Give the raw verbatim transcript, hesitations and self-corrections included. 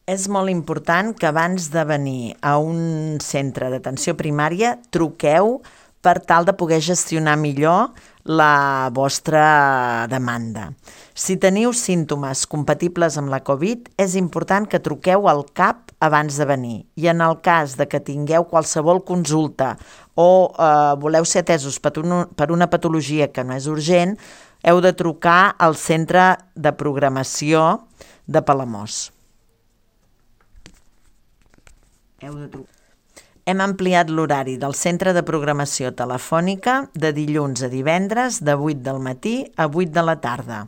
És molt important que abans de venir a un centre d'atenció primària truqueu per tal de poder gestionar millor la vostra demanda. Si teniu símptomes compatibles amb la Covid, és important que truqueu al C A P abans de venir. I en el cas de que tingueu qualsevol consulta o eh, voleu ser atesos per, un, per una patologia que no és urgent, heu de trucar al centre de programació de Palamós. Heu de trucar. Hem ampliat l'horari del centre de programació telefònica de dilluns a divendres de vuit del matí a vuit de la tarda.